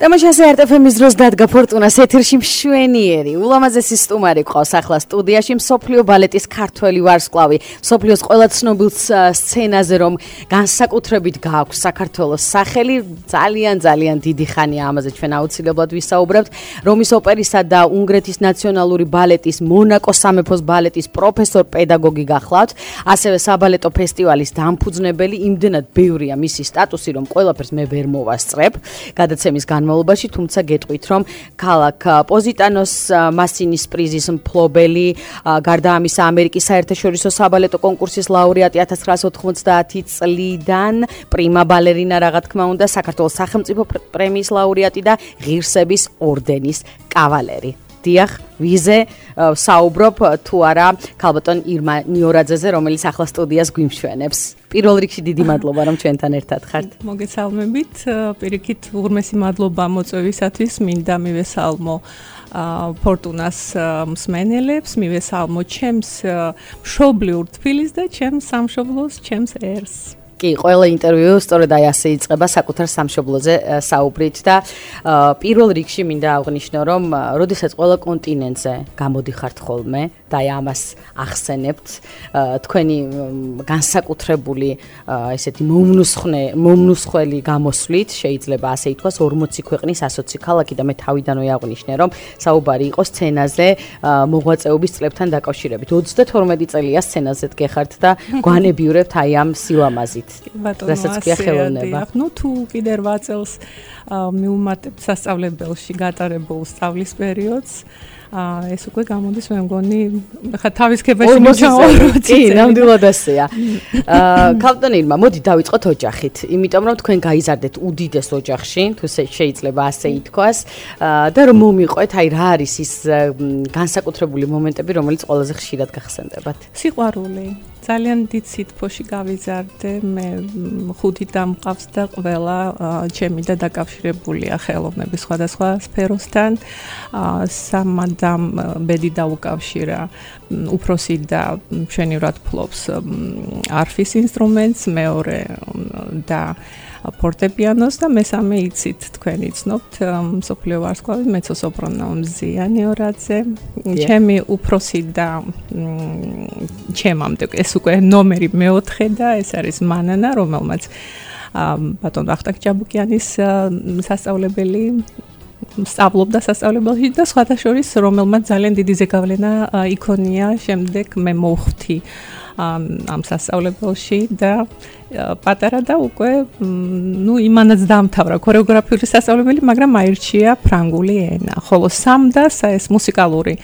Тамашაზე RTFM-ის დროს დადგა ფორტუნას ეთერში მშვენიერი, ულამაზესი სტუმარი ყავს ახლა სტუდიაში მსოფლიო ბალეტის ქართველი ვარსკვლავი, მსოფლიოს ყველა ცნობილ სცენაზე რომ განსაკუთრებით გააქვს საქართველოს სახელი, ძალიან დიდი ხანია ამაზე ჩვენ აუცილებლად ვისაუბრებთ. რომის ოპერისა და უნგრეთის ნაციონალური ბალეტის, მონაკოს სამეფოს ბალეტის პროფესორ პედაგოგი გახლავთ, ასევე საბალეტო ფესტივალის დამფუძნებელი, იმდენად ბევრია მისი სტატუსი, რომ ყველაფერს მე ვერ მოვასწრებ. გადაცემის განმავლობაში, თუმცა გეტყვით, რომ ქალაქ პოზიტანოს მასინის პრიზის მფლობელი, გარდა ამისა ამერიკის საერთაშორისო საბალეტო კონკურსის ლაურეატი 1990 წლიდან, პრიმა ბალერინა რა თქმა უნდა, საქართველოს სახელმწიფო პრემიის ლაურეატი და ღირსების ორდენის კავალერი. დიახ, ვიზე საუბრობ თუ არა ქალბატონ ირმა ნიორაძეზე, რომელიც ახლა სტუდიას გვიმშვენებს. პირველ რიგში დიდი მადლობა, რომ ჩვენთან ერთად ხართ. მოგესალმებით, პირიქით უღრმესი მადლობა მოწვევისათვის, მინდა მივესალმო ფორტუნას მსმენელებს, მივესალმო ჩემს მშობლიურ თბილისს და ჩემს სამშობლოს, ჩემს ერს. კი, ყველა ინტერვიუ სწორედ აი ასე იწყება საკუთარ სამშობლოზე საუბრით და პირველ რიგში მინდა აღვნიშნო, რომ როდესაც ყველა კონტინენტზე გამოდიხართ ხოლმე და აი ამას ახსენებთ, თქვენი განსაკუთრებული ესეთი მომნუსხველი გამოსვლით შეიძლება ასე ითქვას 40 ქვეყნის 120 ქალაქი და მე თავიდანვე აღვნიშნე, რომ საუბარი იყო სცენაზე მოღვაწეობის წლებთან დაკავშირებით. 32 წელია სცენაზე დგეხართ და გვანებიურებთ აი ამ სილამაზით. რასაც ქვია ხელოვნება. ნუ თუ კიდე 8 წელს მივუმატებთ სასწავლებელში გატარებულ სწავლის პერიოდს, ეს უკვე გამოდის მე მგონი, ხა თავისქებაში მოვჩაო. კი, ნამდვილად ასეა. ქალბატონ ირმა, მოდი დავიწყოთ ოჯახით, იმიტომ რომ თქვენ გაიზარდეთ უდიდეს ოჯახში, თუ შეიძლება ასე ითქვას, და რომ მომიყვეთ, აი რა არის ის განსაკუთრებული მომენტები, რომელიც ყველაზე ხშირად გახსენდებათ? სიყვარული. ძალიან დიდ სითბოში გავიზარდე, მე 5 დამყავს და ყველა ჩემი და დაკავშირებულია ხელოვნების სხვადასხვა სფეროსთან. სამადამ ბედი დაუკავშირა, უფროსი და მშვენივრად ფლობს არფის ინსტრუმენტს, მეორე და ფორტეპიანოს და მესამე იცით თქვენ იცნობთ მსოფლიო ვარსკვლავი მეცო-სოპრანო მზია ნიორაძე. ჩემი უფროსი და ჩემამდე ეს უკვე ნომერი მეოთხე და ეს არის მანანა, რომელმაც ბატონ ვახტანგ ჭაბუკიანის სასწავლებელი სწავლობდა სასწავლებელში და სხვათა შორის რომელმაც ძალიან დიდი ზეგავლენა იქონია, შემდეგ მე მოვხვდი ამ სასწავლებელში და პატარა და უკვე იმანაც დამთავრა ქორეოგრაფიული სასწავლებელი, მაგრამ აირჩია ფრანგული ენა. ხოლო სამდას ეს მუსიკალური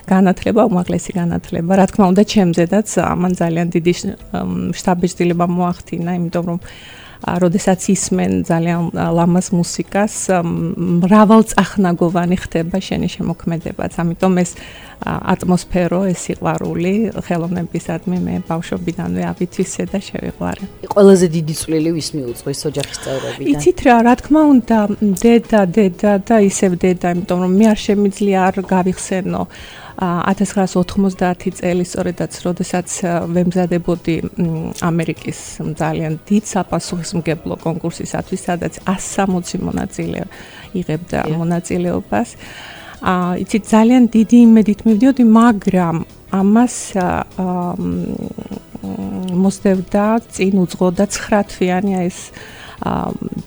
განათლება, უმაღლესი განათლება, რა თქმა უნდა, ჩემზედაც ამან ძალიან დიდი შთაბეჭდილება მოახდინა, იმიტომ რომ როდესაც ისმენ ძალიან ლამაზ მუსიკას, მრავალწახნაგოვანი ხდება შენი შემოქმედებაც. ამიტომ ეს ატმოსფერო, ეს სიყვარული ხელოვნებისადმი მე ბავშვობიდანვე ავითვისე და შევიყვარე. ყველაზე დიდი წვლილი ვის მიუძღვის ოჯახის წევრებიდან? იცით რა თქმა უნდა, დედა და ისევ დედა, იმიტომ რომ მე არ შემიძლია არ გავიხსენო 1990 წელი, სწორედაც როდესაც ვემზადებოდი ამერიკის ძალიან დიდ საპასუხისმგებლო კონკურსისათვის, სადაც 160 მონაწილე იღებდა მონაწილეობას. იცით, ძალიან დიდი იმედით მივდიოდი, მაგრამ ამას მოსდევდა წინ უძღოდა 9 თვიანი ეს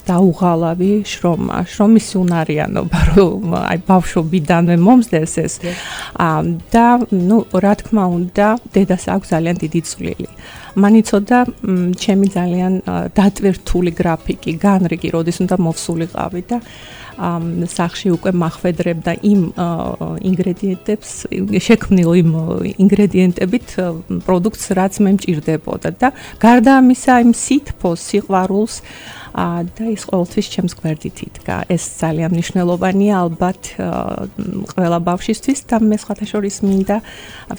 დაუღალავი შრომის უნარიანობა, რომ აი ბავშვობიდანვე მომსდეს ეს და რა თქმა უნდა დედას აქვს ძალიან დიდი წვლილი. მან იცოდა ჩემი ძალიან დატვირთული გრაფიკი, განრიგი, როდის უნდა მოვსულიყავი და სახში უკვე მახვედრებდა იმ ინგრედიენტებს, შექმნილ იმ ინგრედიენტებით პროდუქტს, რაც მე მჭირდებოდა და გარდა ამისა იმ სითბოს, სიყვარულს და ის ყოველთვის ჩემს გვერდით იდგა. ეს ძალიან მნიშვნელოვანია ალბათ ყველა ბავშვისთვის და მე სხვათა შორის მინდა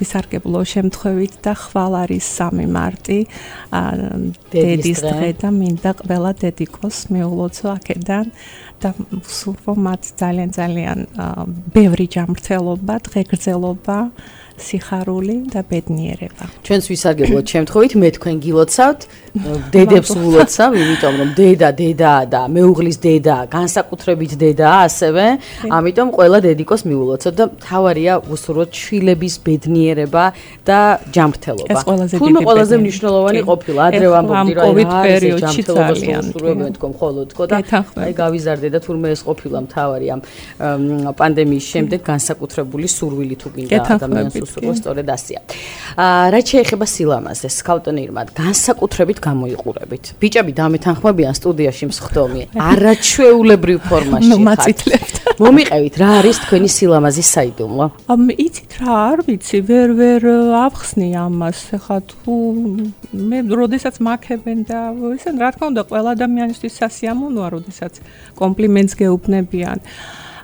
ვისარგებლო შემთხვევით და ხვალ არის 3 მარტი დედის დღე და მინდა ყველა დედიკოს მეულოცო აქედან და სურვო მათ ძალიან ბევრი ჯანმრთელობა, დღეგრძელობა სიხარული და ბედნიერება. ჩვენს ვისარგებლოთ შემთხვევით მე თქვენ გილოცავთ, დედებს ვილოცავ, იმიტომ რომ დედა და მეუღლის დედა, განსაკუთრებით დედა ასევე, ამიტომ ყველა დედიკოს მივულოცოთ და თავარია უსურვოთ შვილების ბედნიერება და ჯანმრთელობა. თურმე ყველაზე მნიშვნელოვანი ყოფილა ადრე ვამბობდი რომ ეს ჯანმრთელობას უსურვებენ თქო მხოლოდ თქო და აი გავიზარდე და თურმე ეს ყოფილა მთავარი ამ პანდემიის შემდეგ განსაკუთრებული სურვილი თუ გინდა ადამიანს უსურვოს სწორედ ასია. რაც შეეხება სილამაზეს, ქავტონირმად განსაკუთრებით გამოიყურებით. ბიჭები დამეთანხმებიან სტუდიაში მსხდომი, არაჩვეულებრივ ფორმაში მაწითლებთ. მომიყევით, რა არის თქვენი სილამაზის საიდუმლო? იცით რა არ ვიცი, ვერ ავხსნი ამას, ხა თუ მე როდესაც მაქებენ და ისე რა თქმა უნდა ყველა ადამიანისთვის სასიამოვნოა, როდესაც კომპლიმენტს გეუბნებიან.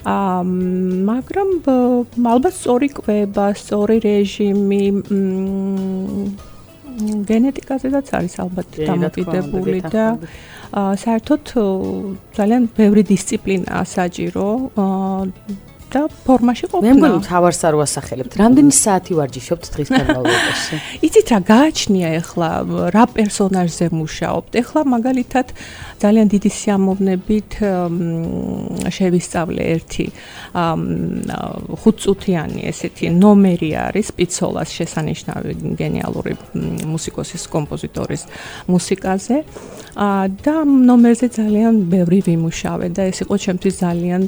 მაგრამ ალბათ სწორი კვება, სწორი რეჟიმი, გენეტიკაზედაც არის ალბათ დამოკიდებული და საერთოდ ძალიან ბევრი დისციპლინაა საჭირო და ფორმაში ყოფნა. მე მგონი თავარს არ ვასახელებთ. რამდენი საათი ვარჯიშობთ დღის განმავლობაში? იცით რა გააჩნია ახლა რა პერსონაჟზე მუშაობთ? ახლა მაგალითად ძალიან დიდი სიამოვნებით შევისწავლე ერთი 5 წუთიანი ესეთი ნომერი არის პიცოლას შესანიშნავი გენიალური მუსიკოსის კომპოზიტორის მუსიკაზე და ნომერზე ძალიან ბევრი ვიმუშავე და ეს იყო ჩემთვის ძალიან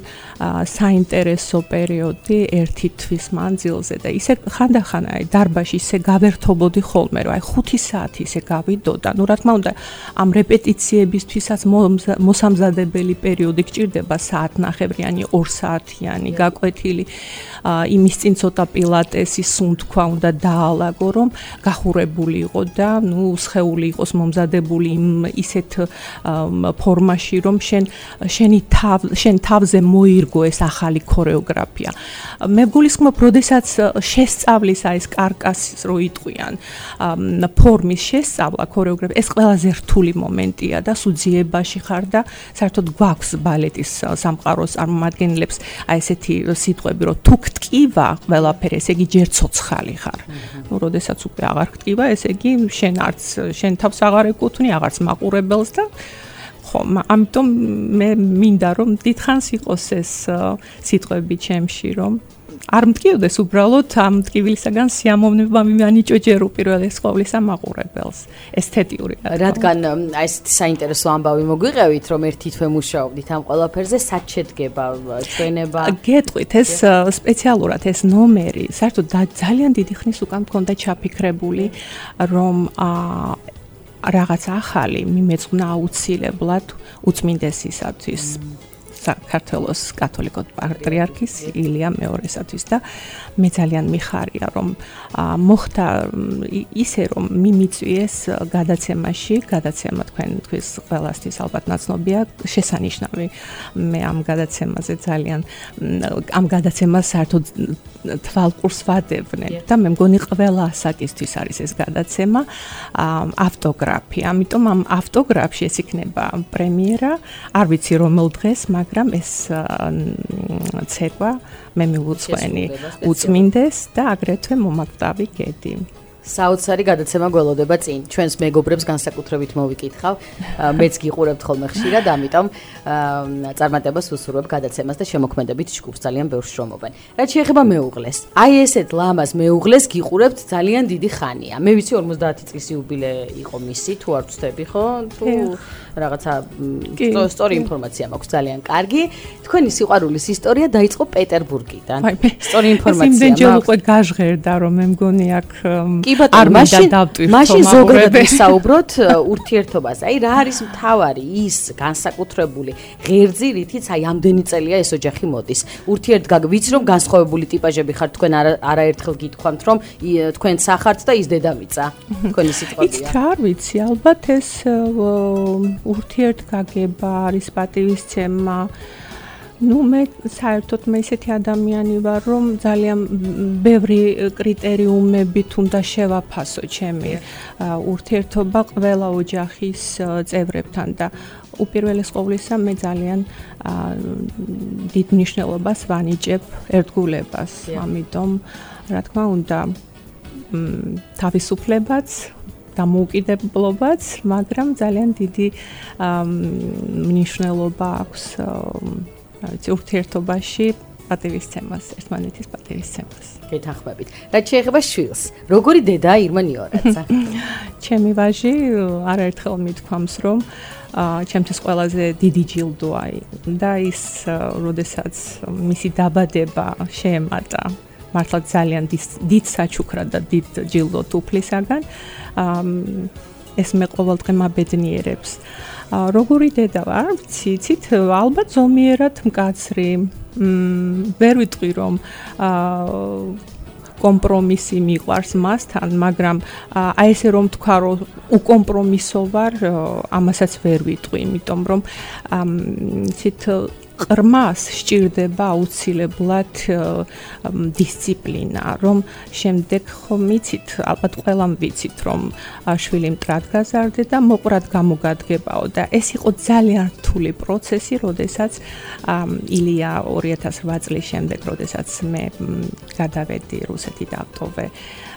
საინტერესო პერიოდი ერთი თვის მანძილზე და ისე ხანდახან აი დარბაში ისე გავერთობოდი ხოლმე რომ აი 5 საათი ისე გავიდოდა. ნუ რა თქმა უნდა ამ რეპეტიციებისთვისაც მოსამზადებელი პერიოდი გჭირდება საათნახევრიანი 2 საათიანი გაკვეთილი იმის წინ ცოტა პილატესი სუნთქვა უნდა დაალაგო რომ გახურებული იყო და ნუ სხეული იყოს მომზადებული ისეთ ფორმაში რომ შენ თავზე მოირგო ეს ახალი ქორეოგრაფია. მე გულისხმობ, როდესაც შესწავლის აი ეს კარკასის რო იტყვიან ფორმის შესწავლა ქორეოგრაფია ეს ყველაზე რთული მომენტია და სუძიებაში ხარ და საერთოდ გვაქვს ბალეტის სამყაროს წარმომადგენლებს აი ესეთი სიტყვები რომ თუ გტკივა ყველაფერი ესე იგი ჯერ ცოცხალი ხარ. ნუ როდესაც უკვე აღარ გტკივა ესე იგი შენ თავს აღარ ეკუთვნი აღარც მაყურებელს და ამიტომ მე მინდა რომ დიდხანს იყოს ეს სიტყვები ჩემში რომ არ მტკივდეს უბრალოდ ამ მტკივილისაგან სიამოვნება მიანიჭო ჯერ უპირველეს ყოვლისა მაყურებელს ესთეტიური რადგან აი ეს საინტერესო ამბავი მოგვიყევით რომ ერთი თვე მუშაობდით ამ ყველაფერზე სად შედგება ჩვენება გეტყვით ეს სპეციალურად ეს ნომერი საერთოდ ძალიან დიდი ხნის უკან მქონდა ჩაფიქრებული რომ რაღაც ახალი მიმეწყნა აუცილებლად უწმინდესისათვის საქართველოს კათოლიკოს პატრიარქის ილია მეორესათვის და მე ძალიან მიხარია რომ მოხდა ისე რომ მიმიწვიეს გადაცემა თქვენთვის ყველასთვის ალბათ ნაცნობია შესანიშნავი მე ამ გადაცემაზე ძალიან ამ გადაცემას საერთოდ თვალყურს ვადებდნენ და მე მგონი ყველა ასაკისთვის არის ეს გადაცემა ავტოგრაფი ამიტომ ამ ავტოგრაფში ეს იქნება პრემიერა არ ვიცი რომელ დღეს მაგრამ ეს ცეკვა მე მივუძღვენი უწმინდეს და აგრეთვე მომაკვდავი გედი. საოცარი გადაცემა გველოდება წინ. ჩვენს მეგობრებს განსაკუთრებით მოვიკითხავ. მეც გიყურებთ ხოლმე ხშირად, ამიტომ წარმატებას ვუსურვებ გადაცემას და შემოქმედებით ჯგუფს ძალიან ბევრს შრომობენ. რაც შეეხება მეუღლეს. აი ესეთ ლამაზ მეუღლეს გიყურებთ ძალიან დიდი ხანია. მე ვიცი 50 წლის იუბილე იყო მისი, თუ არ ვცდები ხო? თუ რაღაცა სწორი ინფორმაცია მაქვს ძალიან კარგი. თქვენი სიყვარულის ისტორია დაიწყო პეტერბურგიდან. სწორი ინფორმაცია მაქვს. იმდენჯერ უკვე გაჟღერდა რომ მე მგონი აქ არ მაშინ ზოგადად ვისაუბროთ ურთიერთობაზე. აი რა არის მთავარი ის განსაკუთრებული ღერძი, რითიც აი ამდენი წელია ეს ოჯახი მოდის. ვიცი რომ განსხვავებული ტიპაჟები ხართ, თქვენ არაერთხელ გითქვამთ რომ თქვენ სახართ და ის დედამიწა. თქვენი სიტყვებია. იცით რა არ ვიცი, ალბათ ეს ურთიერთგაგება არის პატივისცემა. ნუ მე საერთოდ მე ისეთი ადამიანი ვარ რომ ძალიან ბევრი კრიტერიუმებით უნდა შევაფასო ჩემი ურთიერთობა ყველა ოჯახის წევრებთან და უპირველეს ყოვლისა მე ძალიან დიდ მნიშვნელობას ვანიჭებ ერთგულებას. ამიტომ რა თქმა უნდა თავისუფლებაც დამოუკიდებლობაც, მაგრამ ძალიან დიდი მნიშვნელობა აქვს ურთიერთობაში პატივისცემას, ერთმანეთის პატივისცემას. გეთანხმებით. რაც შეეხება შვილს, როგორი დედაა ირმა ნიორაძე? ჩემი ვაჟი არაერთხელ მithქვამს, რომ ჩემთვის ყველაზე დიდი ჯილდოა და ის, როდესაც მისი დაბადება შეემატა მართლა ძალიან დიდ საჩუქრად და დიდ ჯილდოთ უფლისაგან, ეს მე ყოველდღე მაბედნიერებს. როგორი დედა ვარ, ვიცით, ალბათ ზომიერად მკაცრი, ვერ ვიტყვი რომ კომპრომისი მიყვარს მასთან, მაგრამ აი ესე რომ თქვა რომ უკომპრომისო ვარ, ამასაც ვერ ვიტყვი, იმიტომ რომ ცით ყრმას სჭირდება აუცილებლად დისციპლინა, რომ შემდეგ ხომ იცით, ალბათ ყველამ ვიცით, რომ შვილი მტრად გაზარდე და მოყვრად გამოგადგებაო და ეს იყო ძალიან რთული პროცესი, როდესაც ილია 2008 წლის შემდეგ, როდესაც მე გადავედი რუსეთი დავტოვე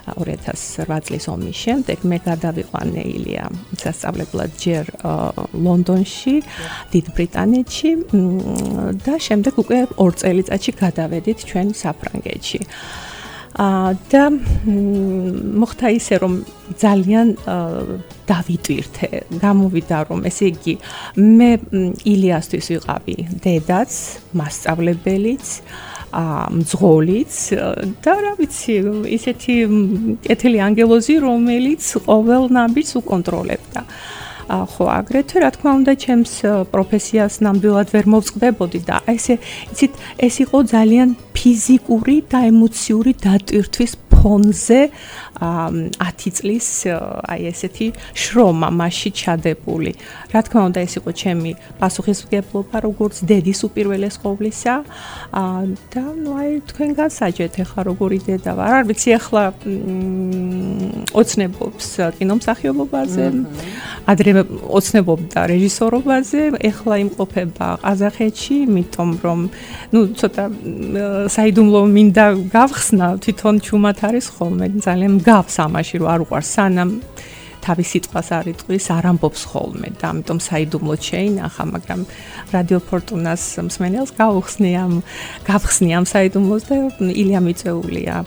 2008 წლის ომის შემდეგ მე გადავიყვანე ილია სასწავლებლად ჯერ ლონდონში, დიდ ბრიტანეთში და შემდეგ უკვე 2 წელიწადში გადავედით ჩვენ საფრანგეთში. და მოხდა ისე რომ ძალიან დავიტვირთე, გამოვიდა რომ ესე იგი მე ილიასთვის ვიყავი დედაც, მასწავლებელიც, მძღოლიც და რა ვიცი, ისეთი კეთილი ანგელოზი, რომელიც ყოველ ნაბიჯს უკონტროლებდა. ხო, აგრეთვე რა თქმა უნდა ჩემს პროფესიას ნამდვილად ვერ მოვწყდებოდი და ესე, იცით, ეს იყო ძალიან ფიზიკური და ემოციური დატვირთვის ფონზე 10 წლის აი ესეთი შრომა მასში ჩადებული. რა თქმა უნდა ეს იყო ჩემი პასუხისმგებლობა როგორც დედის უპირველეს ყოვლისა და ნუ აი თქვენ გასაჯეთ ახლა როგორი დედა ვარ. არ ვიცი ახლა ოცნებობს კინომსახიობობაზე, ადრე ოცნებობდა რეჟისორობაზე, ახლა იმყოფება ყაზახეთში, იმიტომ რომ ნუ ცოტა საიდუმლო მინდა გავხსნა, თვითონ ჩუმად არის ხოლმე, ძალიან მგავს ამაში, რომ არ უყვარს სანამ თავის სიტყვას არ იტყვის, არ ამბობს ხოლმე და ამიტომ საიდუმლოდ შეინახა, მაგრამ რადიო ფორტუნას მსმენელს გავხსნი ამ საიდუმლოს და ილია მიწეულია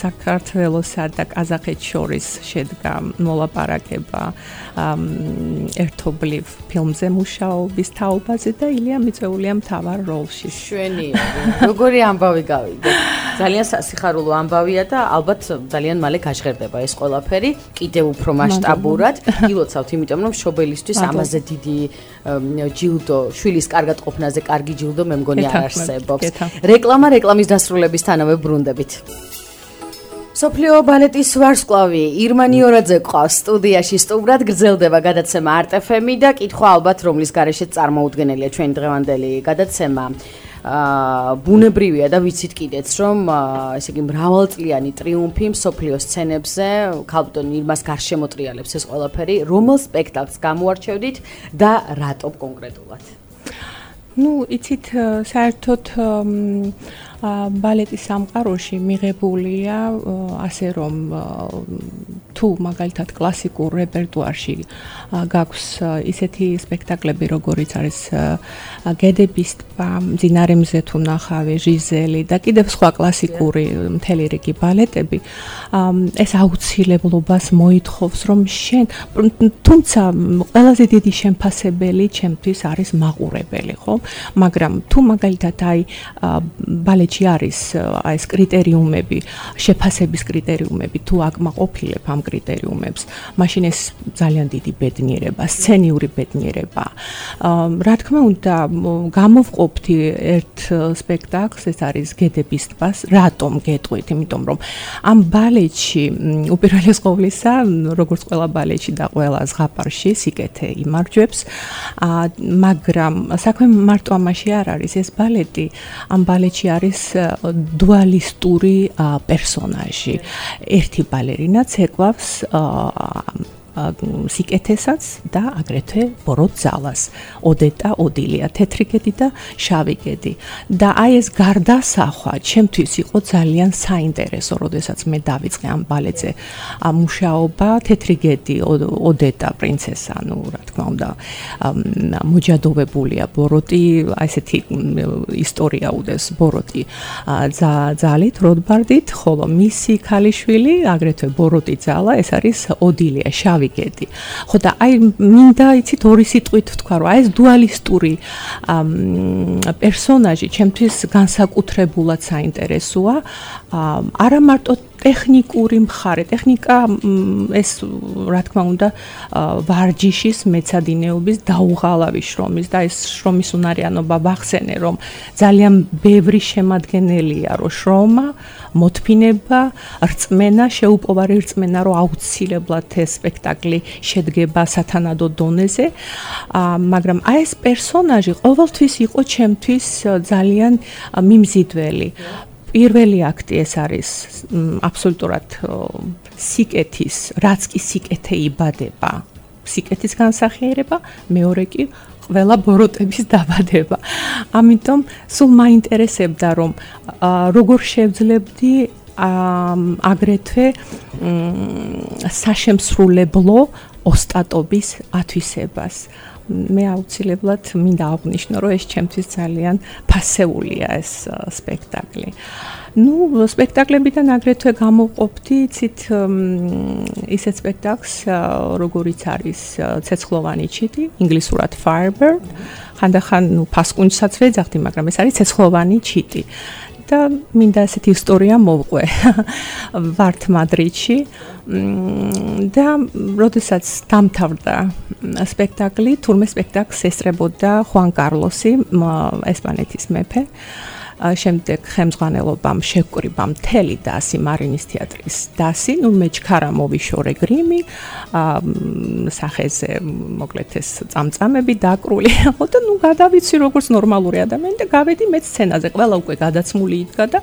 საქართველოსა და ყაზახეთს შორის შედგა მოლაპარაკება ერთობლივ ფილმზე მუშაობის თაობაზე და ილია მიწეულია მთავარ როლში. შვენიერი. როგორი ამბავი გავიგე? ძალიან სასიხარულო ამბავია და ალბათ ძალიან მალე გაჟღერდება ეს ყველაფერი. კიდევ უფრო მასშტაბურად გილოცავთ, იმიტომ რომ მშობელისთვის ამაზე დიდი ჯილდო, შვილის კარგად ყოფნაზე კარგი ჯილდო მე მგონი არ არსებობს. რეკლამის დასრულებისთანავე ბრუნდებით. სოფლიო ბალეტის ვარსკვლავი ირმა ნიორაძე ყავს სტუდიაში, სტუმრად გრძელდება გადაცემა არტეფემი და კითხვა ალბათ რომლის გარეშეც წარმოუდგენელია ჩვენი დღევანდელი გადაცემა. ბუნებრივია და ვიცით კიდეც რომ ესე იგი მრავალწლიანი ტრიუმფი მსოფლიოს სცენებზე ქალბატონ ირმას გარშემოტრიალებს ეს ყველაფერი. რომელ სპექტაკლს გამოარჩევდით და რატომ კონკრეტულად? ნუ იცით საერთოდ ბალეტის სამყაროში მიღებულია ასე რომ თუ მაგალითად კლასიკურ რეპერტუარში გაქვს ისეთი სპექტაკლები როგორიც არის გედების ტბა, მძინარე მზე თუ ნახავი, ჟიზელი და კიდევ სხვა კლასიკური მთელი რიგი ბალეტები, ეს აუცილებლობას მოითხოვს რომ შენ თუმცა ყველაზე დიდი შემფასებელი ჩემთვის არის მაყურებელი, ხო? მაგრამ თუ მაგალითად აი ბალეტში არის აი ეს კრიტერიუმები, შეფასების კრიტერიუმები, თუ აკმაყოფილებ ამ კრიტერიუმებს, მაშინ ეს ძალიან დიდი ბედნიერება, სცენიური ბედნიერება. რა თქმა უნდა, გამოვყოფთი ერთ სპექტაკლს, ეს არის გედების ტბას. რატომ გეტყვით? იმიტომ რომ ამ ბალეტში უპირველეს ყოვლისა, როგორც ყველა ბალეტში და ყველა ზღაპარში, სიკეთე იმარჯვებს, მაგრამ საქმე მარტო ამაში არ არის. ეს ბალეტი, ამ ბალეტში არის დუალისტური პერსონაჟი. ერთი ბალერინა ცეკვავს სიკეთესაც და აგრეთვე ბოროტ ძალას. ოდეტა, ოდილია, თეთრი გედი და შავი გედი. და აი ეს გარდასახვა ჩემთვის იყო ძალიან საინტერესო, როდესაც მე დავიწყე ამ ბალეტზე მუშაობა. თეთრი გედი, ოდეტა პრინცესა, ну, რა თქმა უნდა, მოჯადოვებულია ბოროტი, აი ესეთი ისტორია უდეს ბოროტი ძალით, როდბარდით, ხოლო მისი ქალიშვილი, აგრეთვე ბოროტი ძალა, ეს არის ოდილია, შავი გედი. ხო და აი მინდა იცით ორი სიტყვით ვთქვა, რომ აი ეს დუალისტური პერსონაჟი ჩემთვის განსაკუთრებულად საინტერესოა. არა მარტო ტექნიკური მხარე, ტექნიკა ეს რა თქმა უნდა ვარჯიშის მეცადინეობის დაუღალავი შრომის და ეს შრომის უნარიანობა ვახსენე, რომ ძალიან ბევრი შემადგენელია, რომ შრომა, მოთმინება, რწმენა, შეუპოვარი რწმენა, რომ აუცილებლად ეს სპექტაკლი შედგება სათანადო დონეზე, მაგრამ აი ეს პერსონაჟი ყოველთვის იყო ჩემთვის ძალიან მიმზიდველი. პირველი აქტი ეს არის აბსოლუტურად სიკეთის, რაც კი სიკეთე იბადება, სიკეთის განსახიერება, მეორე კი ყველა ბოროტების დაბადება. ამიტომ სულ მაინტერესებდა, რომ როგორ შევძლებდი აგრეთვე საშემსრულებლო ოსტატობის ათვისებას. მე აუცილებლად მინდა აღვნიშნო, რომ ეს ჩემთვის ძალიან ფასეულია ეს სპექტაკლი. ну, სპექტაკლებიდან აგრეთვე გამოვყოფდი, იცით, ისეთ სპექტაკლს, როგორიც არის ცეცხლოვანი ჩიტი, ინგლისურად Firebird. ხანდახან, ну, ფასკუნჯსაც ვეძახდი, მაგრამ ეს არის ცეცხლოვანი ჩიტი. და მინდა ესეთი ისტორია მოვყვე ვართ მადრიდში და როდესაც დამთავრდა სპექტაკლი, თურმე სპექტაკლს ესწრებოდა ხუან კარლოსი, ესპანეთის მეფე. შემდეგ ხელმძღვანელობამ შევკრიბა მთელი დასი, მარინის თეატრის დასი, ну, მე ჩქარა მოვიშორე გრიმი, სახეზე მოკლედ ეს წამწამები დაკრული. და ну, გადავიცი როგორც ნორმალური ადამიანი და გავედი მე სცენაზე, ყველა უკვე გადაცმული იდგა და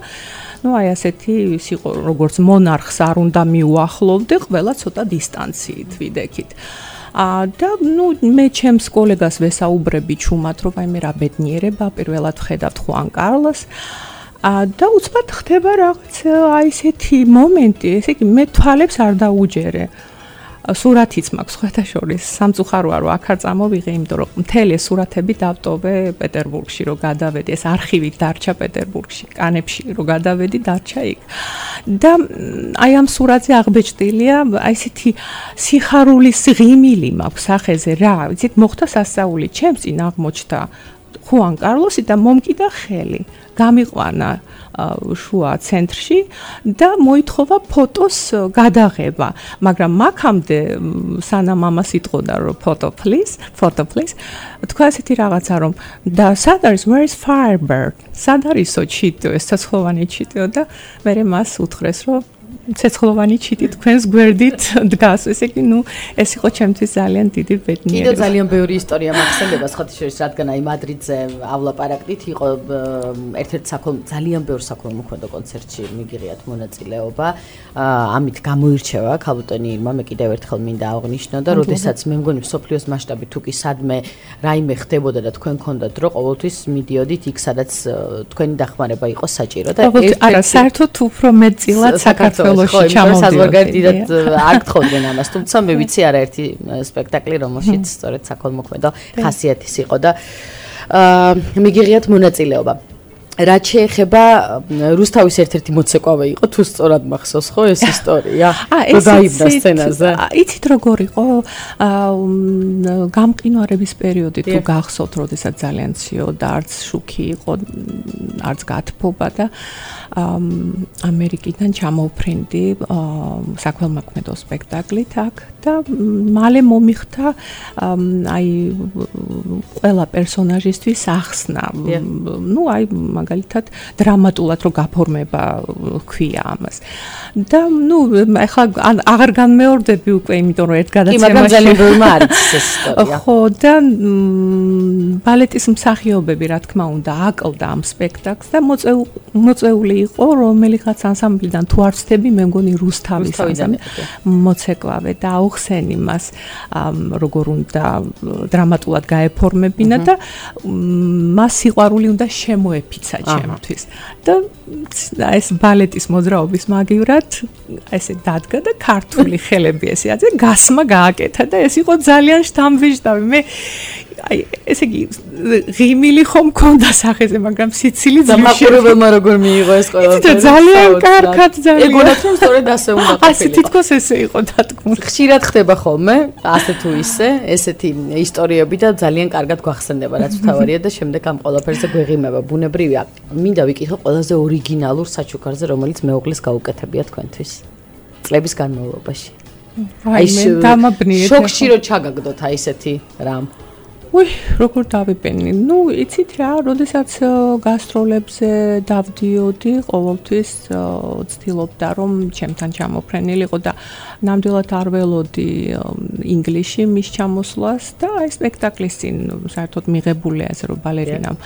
ну, აი ასეთი იყო, როგორც მონარხს არ უნდა მიუახლოვდე, ყველა ცოტა დისტანციით ვიდექით. და ну მე ჩემს კოლეგას ვესაუბრები ჩუმად, რომ აი მე რა ბედნიერება, პირველად ვხედავთ ხუან კარლოს. და უცბად ხდება რაღაც აი ესეთი მომენტი, ესე იგი მე თვალებს არ დაუჯერე. სურათიც მაქვს ხეთაშორის, სამწუხაროა რომ აქ არ წამოვიღე, იმიტომ რომ მთელი სურათები დავტოვე პეტერბურგში, რომ გადავედი, ეს არქივით დარჩა პეტერბურგში, კანებში რომ გადავედი, დარჩა იქ. და აი ამ სურათზე აღბეჭდილია აი ესეთი სიხარულის ღიმილი მაქვს სახეზე რა, ვიცით, მოხდა სასწაული, ჩემს წინ აღმოჩნდა ხუან კარლოსი და მომკიდა ხელი. გამიყვანა შუა ცენტრში და მოითხოვა ფოტოს გადაღება, მაგრამ მაქამდე სანამ ამას იტყოდა რომ photo please, თქვა ესეთი რაღაცა რომ და სად არის, where is Firebird? სად არისო ჩიტო, ეს ცეცხლოვანი ჩიტო და მე მას უთხრეს რომ ცეცხლოვანი ჩიტი თქვენს გვერდით დგას. ესე იგი, ну, ეს იყო ჩემთვის ძალიან დიდი ბედნიერება. კიდევ ძალიან ბევრი ისტორია მაქვს, სხვათაშორის, რადგან აი მადრიდზე ავლაპარაკდით, იყო ერთ-ერთი ძალიან ბევრ საქველმოქმედო კონცერტში მიგიღიათ მონაწილეობა. ამით გამოირჩევა ქალბატონი ირმა, მე კიდევ ერთხელ მინდა აღვნიშნო და როდესაც მე მგონი მსოფლიოს მასშტაბით თუ კი სადმე რაიმე ხდებოდა და თქვენ გქონდათ დრო, ყოველთვის მიდიოდით იქ, სადაც თქვენი დახმარება იყო საჭირო და არა, საერთოდ უფრო მეტწილად საქართველოში საზღვარგარეთ დიდად არ გთხოვდნენ ამას, თუმცა მე ვიცი არაერთი სპექტაკლი, რომელშიც სწორედ საქველმოქმედო ხასიათის იყო და მიგიღიათ მონაწილეობა. რაც შეეხება რუსთავის ერთ-ერთი მოცეკვავე იყო, თუ სწორად მახსოვს ხო ეს ისტორია? რომ დაიბდა სცენაზე. იცით როგორ იყო გამყინვარების პერიოდი თუ გახსოვთ, როდესაც ძალიან ციოდა, არც შუქი იყო, არც გათბობა და ამერიკიდან ჩამოვფრინდი საქველმოქმედო სპექტაკლით აქ და მალე მომიხდა აი ყველა პერსონაჟისთვის ახსნა. ну აი მაგალითად დრამატულად რო გაფორმება ქვია ამას. და ну ახლა აღარ განმეორდები უკვე, იმიტომ რომ ერთ გადაცემაში კი, მაგრამ ძალიან ბევრი არის ეს ისტორია. ხო და ბალეტის მსახიობები რა თქმა უნდა აკლდა ამ სპექტაკლს და მოწეული იყო რომელიღაც ანსამბლიდან თუ არ ვცდები მე მგონი რუსთავის მოცეკვავე და აუხსენი მას როგორ უნდა დრამატულად გაეფორმებინა და მას სიყვარული უნდა შემოეფიცა ჩემთვის და ეს ბალეტის მოძრაობის მაგივრად ესე დადგა და ქართული ხელები ესე აზე გასმა გააკეთა და ეს იყო ძალიან შთამბეჭდავი მე აი ესე იგი ღიმილი ხომ მქონდა სახეზე მაგრამ სიცილი დამაყურებელმა როგორ მიიღო ეს ყველაფერი ძალიან კარგად ძალიან ეგონათ რომ სწორედ ასე უნდა ყოფილიყო ასე თითქოს ესე იყო დადგმული ხშირად ხდება ხოლმე ასე თუ ისე ესეთი ისტორიები და ძალიან კარგად გვახსენდება რაც თავარია და შემდეგ ამ ყველაფერზე გვეღიმება ბუნებრივია მინდა ვიკითხო ყველაზე ორიგინალურ საჩუქარზე რომელიც მეუღლის გაუკეთებია თქვენთვის წლების განმავლობაში აი მე დამაბნიეთ შოქში რო ჩაგაგდოთ აი ესეთი რამ როგორ დავიპენი? იცით რა, როდესაც გასტროლებზე დავდიოდი, ყოველთვის ვცდილობდა რომ ჩემთან ჩამოფრენილიყო და ნამდვილად არ ველოდი ინგლისში მის ჩამოსვლას და აი სპექტაკლის წინ საერთოდ მიღებულია ესე რომ ბალერინამ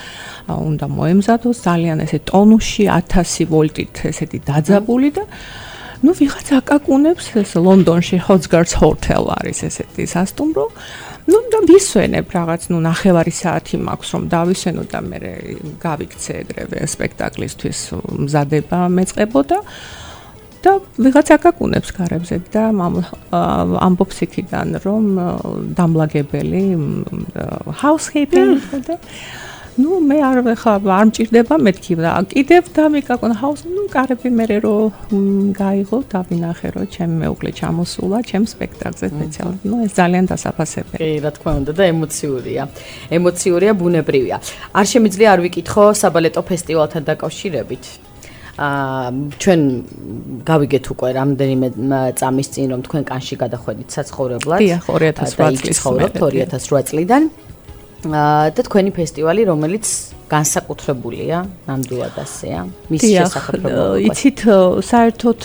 უნდა მოემზადოს ძალიან ესე ტონუსში 1000 ვოლტით ესეთი დაძაბული და ვიღაც აკაკუნებს ეს ლონდონში Hotsgard's Hotel არის ესეთი სასტუმრო და ვისვენებ რაღაც ნახევარი საათი მაქვს რომ დავისვენო და მე გავიქცე ეგრევე სპექტაკლისთვის მზადება მეწყებოდა და ვიღაც აკაკუნებს გარებზე და ამბობს იქიდან რომ დამლაგებელი housekeeping და მე არ მჭირდება მეთქი და კიდევ დამიკაკონ house კარები მე რომ გაიღო და ვინახე რომ ჩემი მეუღლე ჩამოსულა ჩემ სპექტაკლზე სპეციალურად ეს ძალიან დასაფასებელია კი რა თქმა უნდა და ემოციურია ბუნებრივია არ შემიძლია არ ვიკითხო საბალეტო ფესტივალთან დაკავშირებით ჩვენ გავიგეთ უკვე რამდენიმე წამის წინ რომ თქვენ კანში გადახვედით საცხოვრებლად დიახ 2008 წლიდან და თქვენი ფესტივალი რომელიც განსაკუთრებულია ნამდვილად ასეა მის შესახებ იცით საერთოდ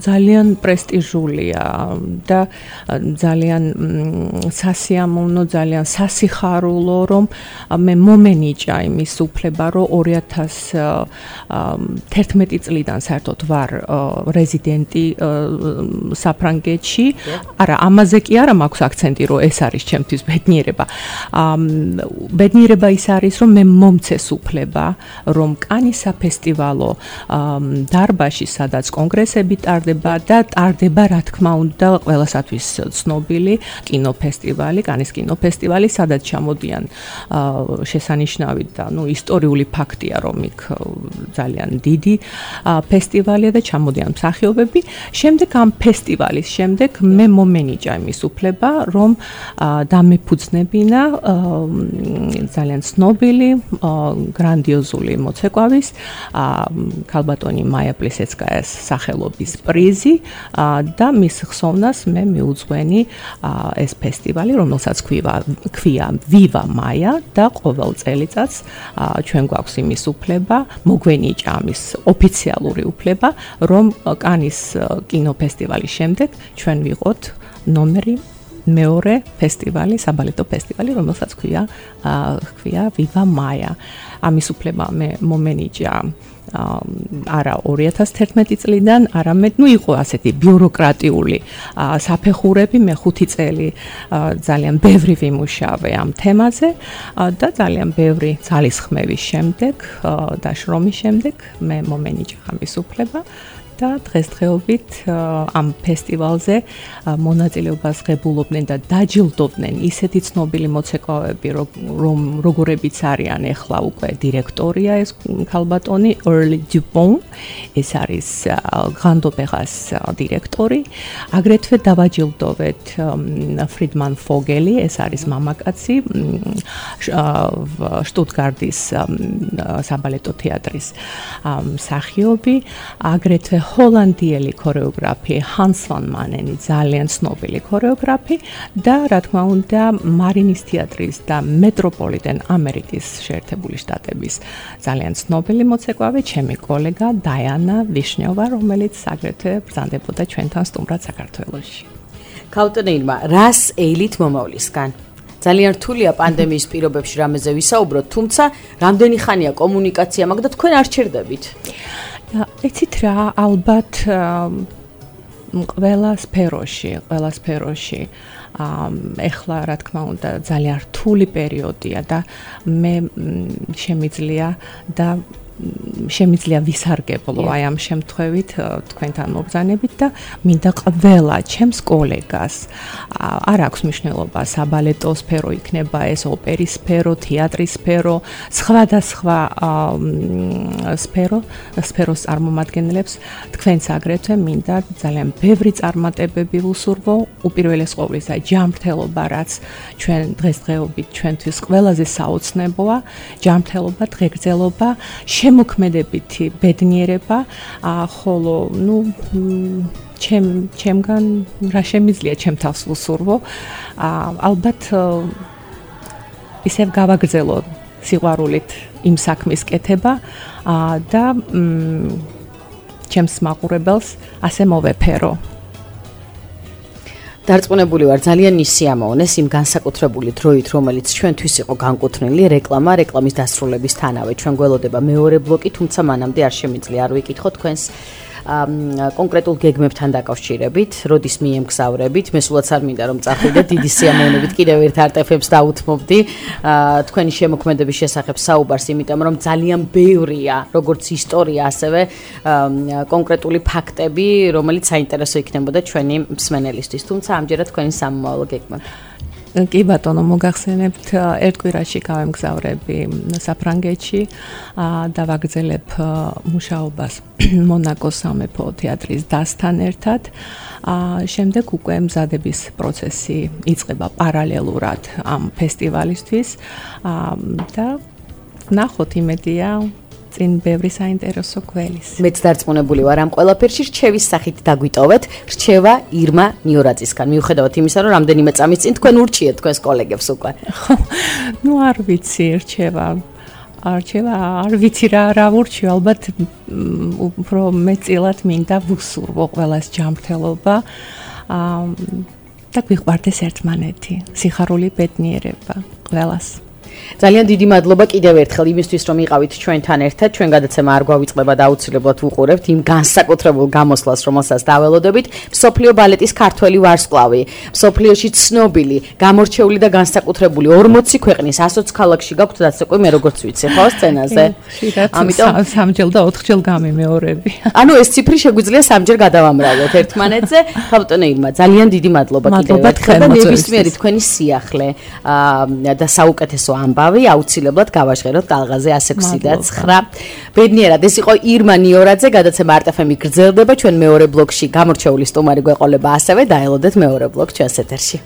ძალიან პრესტიჟულია და ძალიან სასიამოვნო ძალიან სასიხარულო რომ მე მომენიჭა იმის უფლება რომ 2011 წლიდან საერთოდ ვარ რეზიდენტი საფრანგეთში არა ამაზე კი არა მაქვს აქცენტი რომ ეს არის ჩემთვის ბედნიერება ბედნიერება ის არის რომ მე მომცეს უფლება რომ კანის საფესტივალო დარბაზში სადაც კონგრესები ტარდება და ტარდება რა თქმა უნდა ყველასათვის ცნობილი კინოფესტივალი კანის კინოფესტივალი სადაც ჩამოდიან შესანიშნავი და ისტორიული ფაქტია რომ იქ ძალიან დიდი ფესტივალია და ჩამოდიან მსახიობები შემდეგ ამ ფესტივალის შემდეგ მე მომენიჭა იმის უფლება რომ დამეფუძნებინა ძალიან ცნობილი გრანდიოზული მოცეკვავის ქალბატონი მაია პლისეცკაიას სახელობის პრიზი და მის ხსოვნას მე მიუძღვენი ეს ფესტივალი რომელსაც ქვია ვივა მაია და ყოველ წელიწადს ჩვენ გვაქვს იმის უფლება მოგვენიჭა ამის ოფიციალური უფლება რომ კანის კინოფესტივალის შემდეგ ჩვენ ვიყოთ ნომერი მეორე ფესტივალი, საბალეტო ფესტივალი, რომელსაც ქვია Viva Maya. ამის უფლება მე მომენიჭა არა 2011 წლიდან, არამედ იყო ასეთი ბიუროკრატიული საფეხურები, მე 5 წელი ძალიან ბევრი ვიმუშავე ამ თემაზე და ძალიან ბევრი ძალისხმევის შემდეგ და შრომის შემდეგ მე მომენიჭა ამის უფლება. და დღესდღეობით ამ ფესტივალზე მონაწილეობას ღებულობდნენ და დაჯილდოვდნენ ისეთი ცნობილი მოცეკვავები, რომ როგორებიც არიან ახლა უკვე დირექტორია ეს ქალბატონი Early Dupont, ეს არის Grand-Opéras დირექტორი, აგრეთვე დავაჯილდოვეთ Friedman Vogeli, ეს არის მამაკაცი შტუტგარტის საბალეტო თეატრის მსახიობი, აგრეთვე ჰოლანდიელი ქორეოგრაფი Hans van Manen, ძალიან ცნობილი ქორეოგრაფი და რა თქმა უნდა მარინის თეატრის და მეტროპოლიტენ ამერიკის შეერთებული შტატების ძალიან ცნობილი მოცეკვავი, ჩემი კოლეგა დაიანა ვიშნიოვა, რომელიც აგრეთვე ბრძანდებოდა ჩვენთან სტუმრად საქართველოში. ქალბატონი რას ეილით მომავლისგან? ძალიან რთულია პანდემიის პირობებში რამეზე ვისაუბროთ, თუმცა რამდენი ხანია კომუნიკაცია მაგ და თქვენ არ ჩერდებით? იცით რა, ალბათ ყველა სფეროში ეხლა რა თქმა უნდა ძალიან რთული პერიოდია და მე შემიძლია ვისარგებლო აი ამ შემთხვევით თქვენთან მობრძანებით და მინდა ყველა ჩემს კოლეგას არ აქვს მნიშვნელობა საბალეტო სფერო იქნება ეს ოპერის სფერო, თეატრის სფერო, სხვადასხვა სფეროს წარმომადგენლებს თქვენს აგრეთვე მინდა ძალიან ბევრი წარმატებები ვუსურვო უპირველეს ყოვლისა ჯანმრთელობა რაც ჩვენ დღესდღეობით ჩვენთვის ყველაზე საოცნებოა ჯანმრთელობა, დღეგრძელობა შემოქმედებითი ბედნიერება, ხოლო ჩემგან რა შემიძლია ჩემ თავს ვუსურვო, ალბათ ისევ გავაგრძელო სიყვარულით იმ საქმის კეთება და ჩემს მაყურებელს ასე მოვეფერო. დარწმუნებული ვარ, ძალიან ისიამოვნეს იმ განსაკუთრებული დროით, რომელიც ჩვენთვის იყო განკუთვნილი რეკლამის დასრულებისთანავე. ჩვენ გველოდება მეორე ბლოკი, თუმცა მანამდე არ შემიძლია არ ვიკითხო თქვენს კონკრეტულ გეგმებთან დაკავშირებით, როდის მიემგზავრებით. მე სულაც არ მინდა რომ წახვიდე დიდი სიამოვნებით კიდევ ერთ არტეფებს დაუთმობდი თქვენი შემოქმედების შესახებ საუბარს, იმიტომ რომ ძალიან ბევრია, როგორც ისტორია, ასევე კონკრეტული ფაქტები, რომელიც საინტერესო იქნებოდა ჩვენი მსმენელისთვის. თუმცა ამჯერად თქვენი სამომავლო გეგმები. კი ბატონო, მოგახსენებთ, ერთ კვირაში გავემგზავრები საფრანგეთში და ვაგრძელებ მუშაობას მონაკოს სამეფო თეატრის დასთან ერთად. შემდეგ უკვე მზადების პროცესი იწყება პარალელურად ამ ფესტივალისთვის და ნახოთ იმედია წინ ბევრი საინტერესო გველის. მეც დარწმუნებული ვარ ამ ყველაფერში რჩევის სახით დაგვიტოვეთ. რჩევა ირმა ნიორაძისგან. მიუხედავად იმისა, რომ რამდენიმე წამის წინ თქვენ ურჩიეთ თქვენს კოლეგებს უკვე. არ ვიცი რჩევა არ ვიცი რა ვურჩიო, ალბათ უფრო მეწილად მინდა ვუსურვო ყველას ჯანმრთელობა და გვიყვარდეს ერთმანეთი, სიხარული ბედნიერება ყველას. ძალიან დიდი მადლობა კიდევ ერთხელ იმისთვის, რომ იყავით ჩვენთან ერთად. ჩვენ გადაცემა არ გვავიწყდება და აუცილებლად ვუყურებთ იმ განსაკუთრებულ გამოსვლას, რომელსაც დაველოდებით. მსოფლიო ბალეტის ქართველი ვარსკვლავი, მსოფლიოში ცნობილი, გამორჩეული და განსაკუთრებული 40 ქვეყნის 120 ქალაქში გაქვთ დაცეკვი, მე როგორც ვიცი, ხო, სცენაზე. ამიტომ 3 და 4 გამიმეორები. ანუ ეს ციფრი შეგვიძლია 3 გადავამრავლოთ ერთმანეთზე. ბატონო ირმა, ძალიან დიდი მადლობა კიდევ ერთხელ და ნებისმიერი თქვენი სიახლე და საუკეთესო ამბავი აუცილებლად გავაჟღეროთ ტალღაზე 106.9. ბედნიერად, ეს იყო ირმა ნიორაძე, გადაცემა არტეფემი გრძელდება, ჩვენ მეორე ბლოკში გამორჩეული სტუმარი გვეყოლება ასევე, დაელოდეთ მეორე ბლოკ ჩვენს ეთერში.